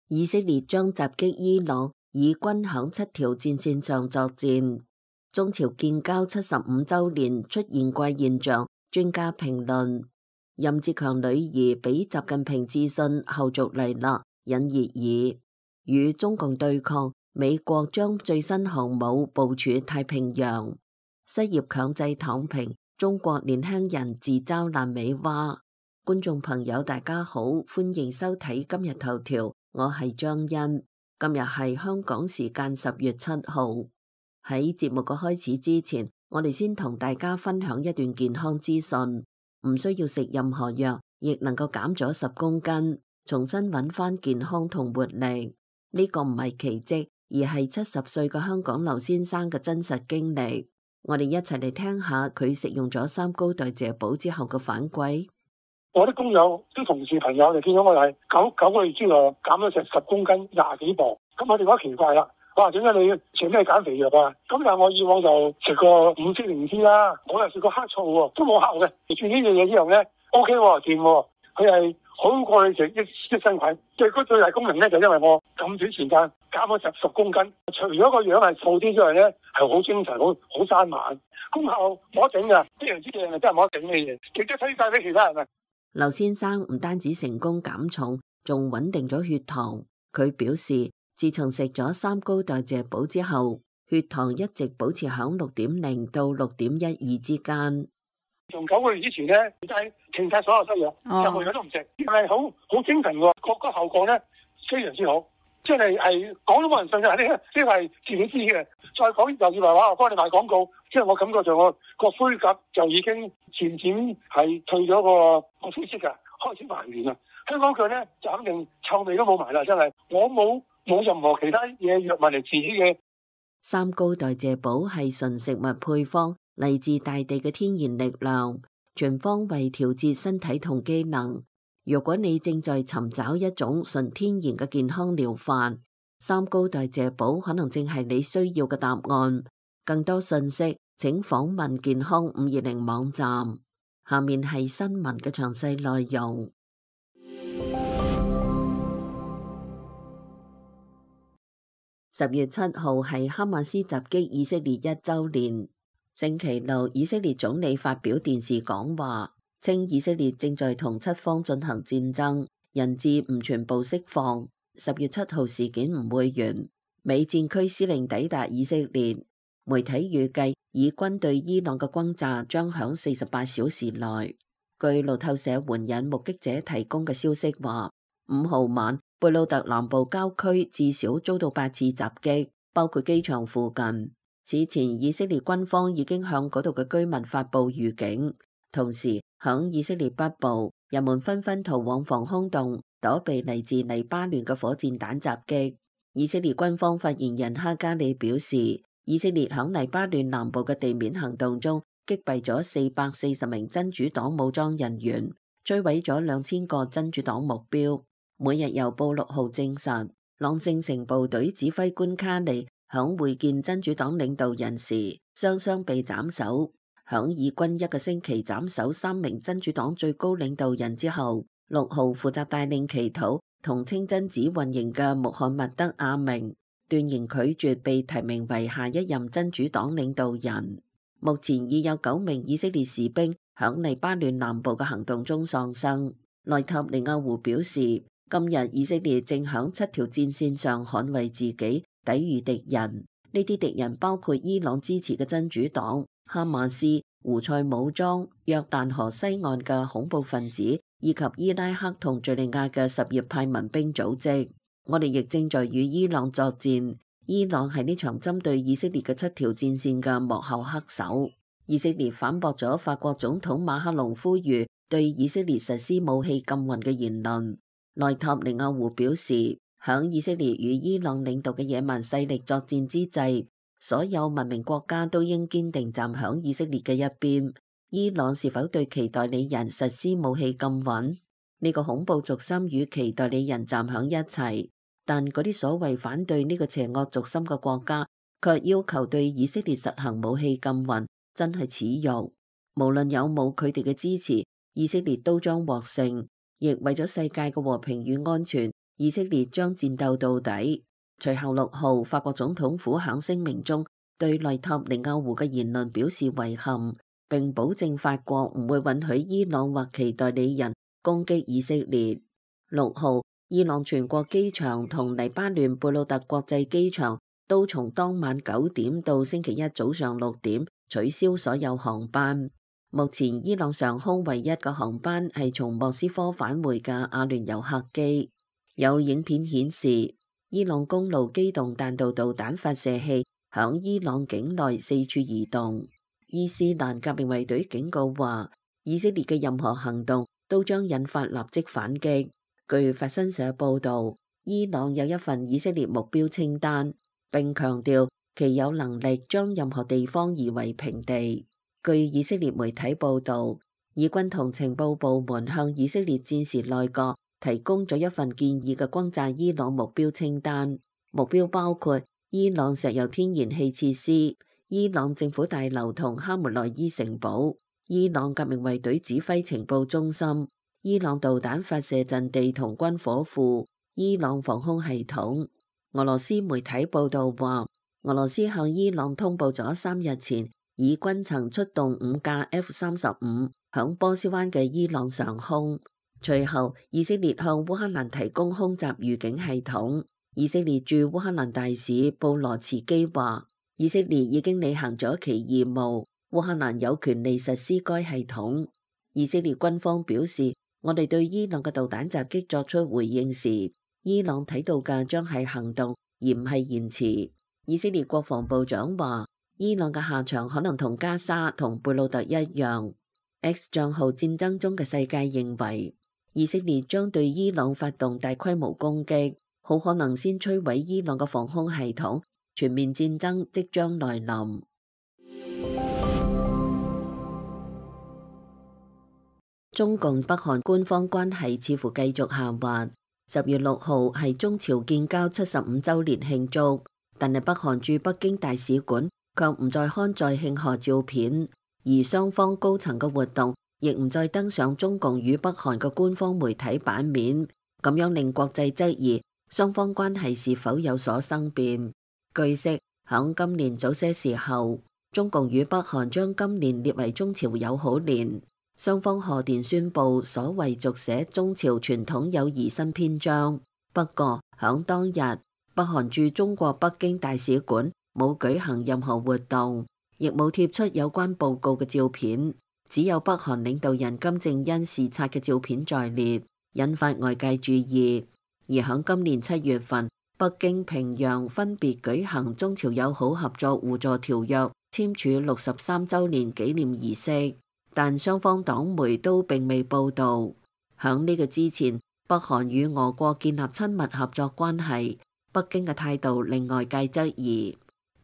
以色列將襲擊伊朗，以軍響7條戰線上作戰。中朝建交75週年出現怪現象，專家評論。任志強女兒俾習近平致信，後續嚟啦，引熱議。與中共對抗，美國將最新航母部署太平洋。失業強制躺平，中國年輕人自嘲爛尾蛙。觀眾朋友大家好，歡迎收睇今日頭條，我係張欣。今日係香港時間10月7號。喺節目嘅開始之前，我哋先同大家分享一段健康資訊。唔需要食任何藥，亦能夠減咗10公斤，重新揾翻健康同活力。呢個唔係奇蹟，而係70歲嘅香港劉先生嘅真實經歷。我哋一齊嚟聽下佢食用咗3高代謝寶之後嘅反饋。我啲工友、啲同事朋友就見到我係九個月之內減咗成10公斤，20幾磅。咁我哋覺得奇怪啦，哇！點解你食咩減肥藥啊？咁但係我以往就食過五色靈芝啦，我又食過黑醋喎，都冇效嘅。食呢樣嘢之後咧 ，OK 喎，掂喎，佢係好過你食益生菌。最大功能咧就因為我咁短時間減咗10公斤，除咗個樣係瘦啲之外咧，係好精神、好生猛，功效冇得頂㗎。呢樣之嘢係真係冇得頂嘅嘢，值得推介俾其他人啊！劉先生唔單止成功減重，仲穩定咗血糖。佢表示，自從食咗3高代謝寶之後，血糖一直保持響6.0到6.12之間。從9個月之前咧，就係停晒所有西藥，任何藥都唔食，係好精神喎。個效果咧非常之好，即係講都冇人信嘅，呢個係自己知嘅。再講又以為話我幫你賣廣告，即係我感覺上我個灰甲就已經漸漸係退咗個灰色㗎，開始還原啦。香港腳咧就肯定臭味都冇埋啦，真係我冇任何其他嘢藥物嚟治嘅。3高代謝寶係純食物配方，嚟自大地嘅天然力量，全方位調節身體同機能。如果你正在尋找一種純天然嘅健康療法，3高代謝寶可能正係你需要嘅答案。更多信息請訪問健康520網站。下面係新聞嘅詳細內容。10月7號係哈馬斯襲擊以色列1週年。星期六，以色列總理發表電視講話，稱以色列正在同7方進行戰爭，人質唔全部釋放。10月7號事件唔會完。美戰區司令抵達以色列，媒體預計以軍對伊朗嘅轟炸將響48小時內。據路透社援引目擊者提供嘅消息話，5號晚貝魯特南部郊區至少遭到8次襲擊，包括機場附近。此前以色列軍方已經向嗰度嘅居民發布預警，同時響以色列北部，人們紛紛逃往防空洞，躲避嚟自黎巴嫩嘅火箭彈襲擊。以色列軍方發言人哈加里表示，以色列響黎巴嫩南部嘅地面行動中擊斃咗440名真主黨武裝人員，摧毀咗2000個真主黨目標。每日郵報6號證實，朗聖城部隊指揮官卡利響會見真主黨領導人時，雙雙被斬首。響以軍1個星期斬首3名真主黨最高領導人之後，6號負責帶領祈禱同清真寺運營嘅穆罕默德阿明斷然拒絕被提名為下一任真主黨領導人。目前已有9名以色列士兵響黎巴嫩南部嘅行動中喪生。內塔尼亞胡表示，今日以色列正響7條戰線上捍衛自己，抵禦敵人。呢啲敵人包括伊朗支持嘅真主黨、哈馬斯、胡塞武裝、約旦河西岸嘅恐怖分子，以及伊拉克同敘利亞嘅什葉派民兵組織。我哋亦正在與伊朗作戰。伊朗係呢場針對以色列嘅7條戰線嘅幕後黑手。以色列反駁咗法國總統馬克龍呼籲對以色列實施武器禁運嘅言論。內塔尼亞胡表示，響以色列與伊朗領導嘅野蠻勢力作戰之際，所有文明國家都應堅定站響以色列嘅一邊。伊朗是否對其代理人實施武器禁運？呢個恐怖軸心與其代理人站響一齊，但嗰啲所謂反對呢個邪惡軸心嘅國家，卻要求對以色列實行武器禁運，真係恥辱。無論有冇佢哋嘅支持，以色列都將獲勝。亦為咗世界嘅和平與安全，以色列將戰鬥到底。隨後6號，法國總統府響聲明中對內塔尼亞胡嘅言論表示遺憾，並保證法國唔會允許伊朗或其代理人攻擊以色列。6號，伊朗全國機場同黎巴嫩貝魯特國際機場都從當晚9點到星期一早上6點取消所有航班。目前伊朗上空唯一嘅航班係從莫斯科返回嘅阿聯酋客機。有影片顯示，伊朗公路機動彈道導彈發射器響伊朗境內四處移動。伊斯蘭革命衛隊警告話，以色列嘅任何行動都將引發立即反擊。據法新社報導，伊朗有一份以色列目標清單，並強調其有能力將任何地方夷為平地。據以色列媒體報導，以軍同情報部門向以色列戰時內閣提供咗一份建議嘅轟炸伊朗目標清單，目標包括伊朗石油天然氣設施、伊朗政府大樓同哈梅內伊城堡、伊朗革命衛隊指揮情報中心、伊朗導彈發射陣地同軍火庫、伊朗防空系統。俄羅斯媒體報導話，俄羅斯向伊朗通報咗3日前，以軍曾出動5架 F-35響波斯灣嘅伊朗上空。隨後，以色列向烏克蘭提供空襲預警系統。以色列駐烏克蘭大使布羅茨基話，以色列已經履行咗其義務，烏克蘭有權利實施該系統。以色列軍方表示，我哋對伊朗嘅導彈襲擊作出回應時，伊朗睇到嘅將係行動，而唔係言辭。以色列國防部長話，伊朗嘅下場可能同加沙同貝魯特一樣。X 賬號戰爭中嘅世界認為，以色列將對伊朗發動大規模攻擊，好可能先摧毀伊朗嘅防空系統，全面戰爭即將來臨。中共北韓官方關係似乎繼續下滑。10月6號係中朝建交75週年慶祝，但係北韓駐北京大使館卻唔再刊載慶賀照片，而雙方高層嘅活動亦唔再登上中共與北韓嘅官方媒體版面，咁樣令國際質疑雙方關係是否有所生變。據悉，響今年早些時候，中共與北韓將今年列為中朝友好年，雙方賀電宣布所謂續寫中朝傳統友誼新篇章。不過，響當日，北韓駐中國北京大使館冇舉行任何活動，亦冇貼出有關報告嘅照片。只有北韓領導人金正恩視察嘅照片在列，引發外界注意。而響今年7月份，北京、平壤分別舉行中朝友好合作互助條約簽署63週年紀念儀式，但雙方黨媒都並未報導。響呢個之前，北韓與俄國建立親密合作關係，北京嘅態度令外界質疑。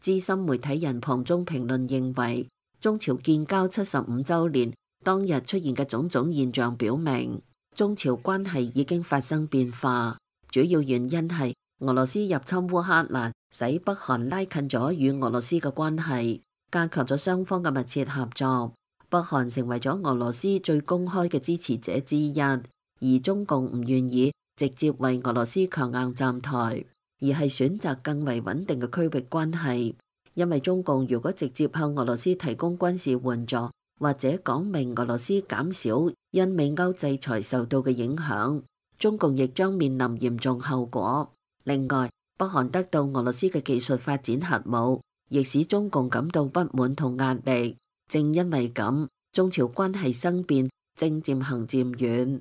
資深媒體人龐中評論認為，中朝建交75週年當日出現嘅種種現象表明，中朝關係已經發生變化。主要原因係俄羅斯入侵烏克蘭，使北韓拉近咗與俄羅斯嘅關係，加強咗雙方嘅密切合作。北韓成為咗俄羅斯最公開嘅支持者之一，而中共唔願意直接為俄羅斯強硬站台，而係選擇更為穩定嘅區域關係。因為中共如果直接向俄羅斯提供軍事援助，或者講明俄羅斯減少因美歐制裁受到嘅影響，中共亦將面臨嚴重後果。另外，北韓得到俄羅斯嘅技術發展核武，亦使中共感到不滿同壓力。正因為咁，中朝關係生變正漸行漸遠。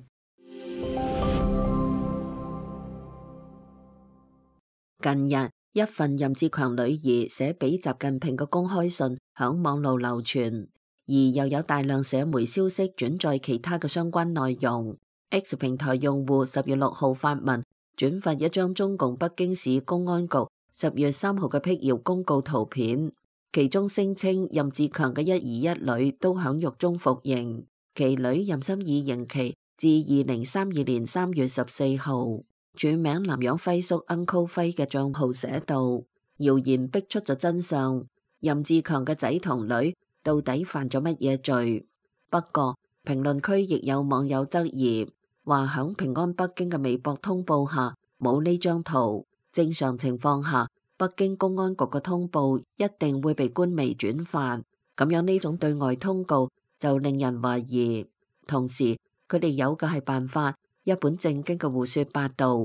近日，一份任志強女兒寫俾習近平嘅公開信響網路流傳，而又有大量社媒消息轉載其他嘅相關內容。X 平台用戶10月6號發文轉發一張中共北京市公安局10月3號嘅辟謠公告圖片，其中聲稱任志強嘅一兒一女都響獄中服刑，其女任心以刑期至2032年3月14號。署名南洋輝叔 Uncle 輝嘅賬號寫道：謠言逼出咗真相，任志強嘅仔同女到底犯咗乜嘢罪？不過評論區亦有網友質疑，話響平安北京嘅微博通報下，冇呢張圖。正常情況下，北京公安局嘅通報一定會被官媒轉發，咁樣呢種對外通告就令人懷疑。同時，佢哋有嘅係辦法，一本正經嘅胡說八道，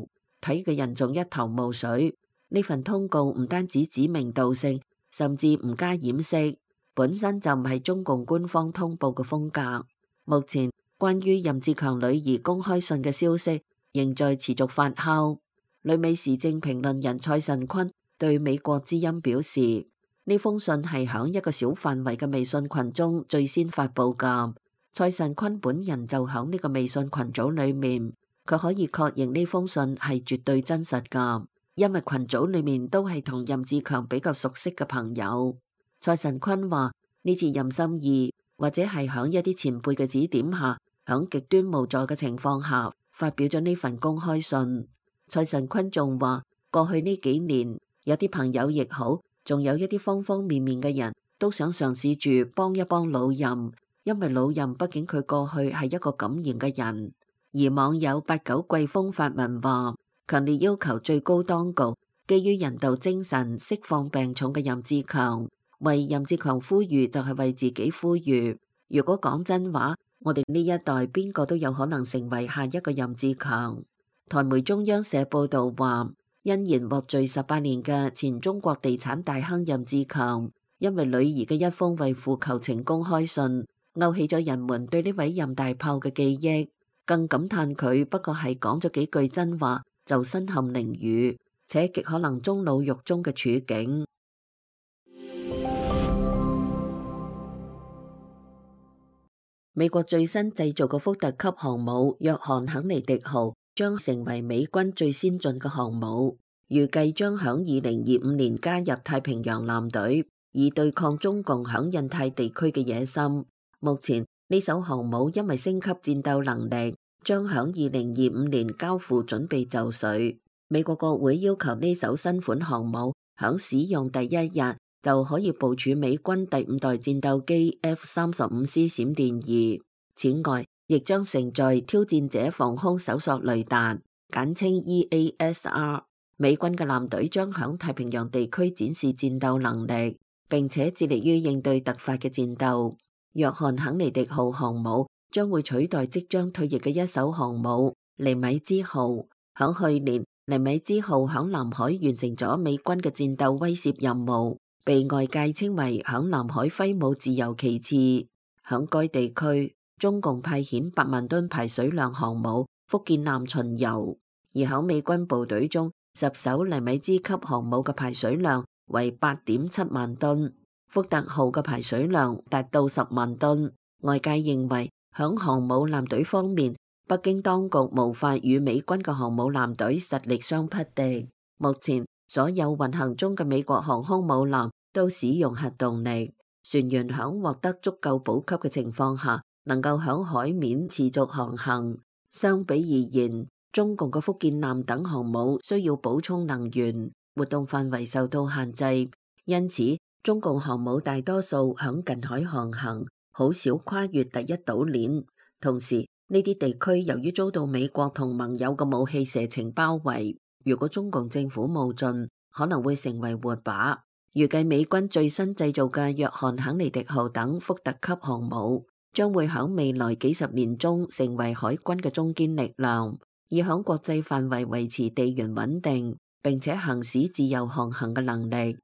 睇嘅人仲一頭霧水。呢份通告唔單止指名道姓，甚至唔加掩飾，本身就唔係中共官方通報嘅風格。目前關於任志強女兒公開信嘅消息仍在持續發酵。旅美時政評論人蔡慎坤對美國之音表示，呢封信係響一個小範圍嘅微信群中最先發佈㗎。蔡慎坤本人就響呢個微信群組裏面，佢可以確認呢封信係絕對真實㗎，因為群組裏面都係同任志強比較熟悉嘅朋友。蔡慎坤話呢次任心義或者係響一啲前輩嘅指點下，響極端無助嘅情況下發表咗呢份公開信。蔡慎坤仲話過去呢幾年有啲朋友亦好，仲有一啲方方面面嘅人都想嘗試住幫一幫老任，因為老任畢竟佢過去係一個敢言嘅人。而網友89季風發文話，強烈要求最高當局基於人道精神釋放病重嘅任志強，為任志強呼籲就係為自己呼籲。如果講真話，我哋呢一代邊個都有可能成為下一個任志強。台媒中央社報道話，因言獲罪18年嘅前中國地產大亨任志強，因為女兒嘅一封為父求情公開信，勾起咗人們對呢位任大炮嘅記憶，更感嘆佢不過係講咗幾句真話就身陷囹圄，且極可能終老獄中嘅處境。美國最新製造嘅福特級航母約翰肯尼迪號將成為美軍最先進嘅航母，預計將響2025年加入太平洋艦隊，以對抗中共響印太地區嘅野心。目前呢艘航母因為升級戰鬥能力，將響2025年交付準備就緒。美國國會要求呢艘新款航母響使用第一日就可以部署美軍第5代戰鬥機 F-35C 閃電2。此外，亦將承載挑戰者防空搜索雷達，簡稱 EASR。美軍嘅艦隊將響太平洋地區展示戰鬥能力，並且致力於應對突發嘅戰鬥。約翰肯尼迪號航母將會取代即將退役嘅一艘航母尼米茲號。響去年，尼米茲號響南海完成咗美軍嘅戰鬥威懾任務，被外界稱為響南海揮舞自由旗幟。響該地區，中共派遣8萬噸排水量航母福建艦巡遊，而響美軍部隊中，10艘尼米茲級航母嘅排水量為8.7萬噸，福特號嘅排水量達到10萬噸。外界認為響航母艦隊方面，北京當局無法與美軍嘅航母艦隊實力相匹敵。目前所有運行中嘅美國航空母艦都使用核動力，船員響獲得足夠補給嘅情況下，能夠響海面持續航行。相比而言，中共嘅福建艦等航母需要補充能源，活動範圍受到限制，因此中共航母大多數響近海航行，好少跨越第一島鏈。同時，呢啲地區由於遭到美國同盟友嘅武器射程包圍，如果中共政府冒進，可能會成為活靶。預計美軍最新製造嘅約翰肯尼迪號等福特級航母，將會響未來幾十年中成為海軍嘅中堅力量，以響國際範圍維持地緣穩定，並且行使自由航行嘅能力。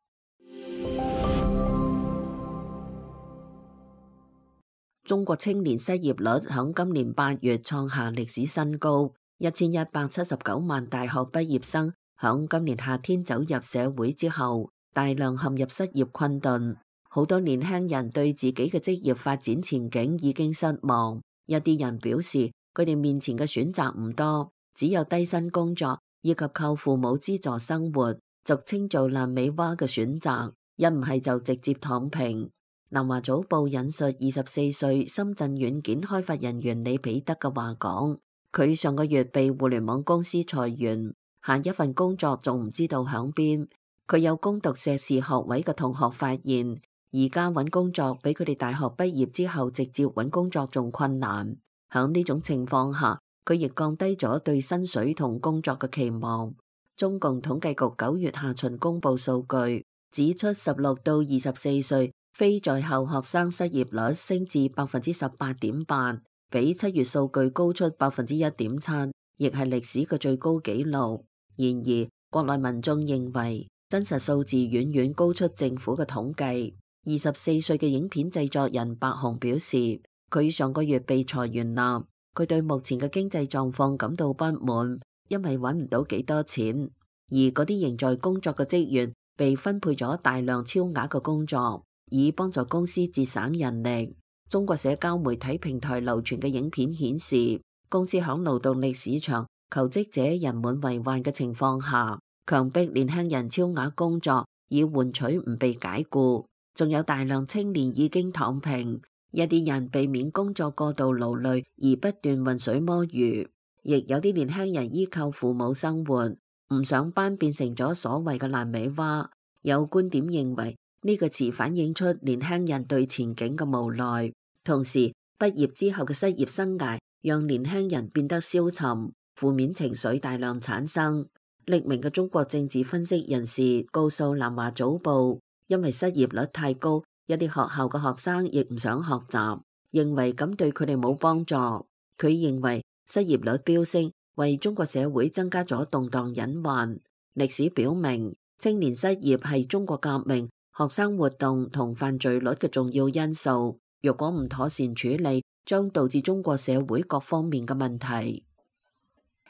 中國青年失業率響今年8月創下歷史新高，1179萬大學畢業生響今年夏天走入社會之後，大量陷入失業困頓。好多年輕人對自己嘅職業發展前景已經失望，一啲人表示佢哋面前嘅選擇唔多，只有低薪工作以及靠父母資助生活，俗稱做爛尾娃嘅選擇，一唔係就直接躺平。南華早報引述24歲深圳軟件開發人員李彼得嘅話講，佢上個月被互聯網公司裁員，下一份工作仲唔知道響邊。佢有攻讀碩士學位嘅同學發現，而家揾工作比佢哋大學畢業之後直接揾工作仲困難。響呢種情況下，佢亦降低咗對薪水同工作嘅期望，中共統計局9月下旬公布數據，指出16到24歲非在校學生失業率升至18.8%，比7月數據高出1.7%，亦係歷史嘅最高紀錄。然而，國內民眾認為真實數字遠遠高出政府嘅統計。24歲嘅影片製作人白熊表示，佢上個月被裁員啦，佢對目前嘅經濟狀況感到不滿，因為揾唔到幾多錢。而嗰啲仍在工作嘅職員被分配咗大量超額嘅工作，以幫助公司節省人力。中國社交媒體平台流傳嘅影片顯示，公司響勞動力市場求職者人滿為患嘅情況下，強迫年輕人超額工作，以換取唔被解僱。仲有大量青年已經躺平，一啲人避免工作過度勞累而不斷渾水摸魚，亦有啲年輕人依靠父母生活，唔上班變成咗所謂嘅爛尾娃。有觀點認為呢個詞反映出年輕人對前景嘅無奈，同時畢業之後嘅失業生涯讓年輕人變得消沉，負面情緒大量產生。匿名嘅中國政治分析人士告訴南華早報，因為失業率太高，一啲學校嘅學生亦唔想學習，認為咁對佢哋冇幫助。佢認為失業率飆升為中國社會增加咗動盪隱患。歷史表明，青年失業係中國革命、學生活動同犯罪率嘅重要因素。若果唔妥善處理，將導致中國社會各方面嘅問題。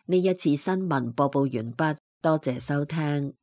呢一次新聞播報完畢，多謝收聽。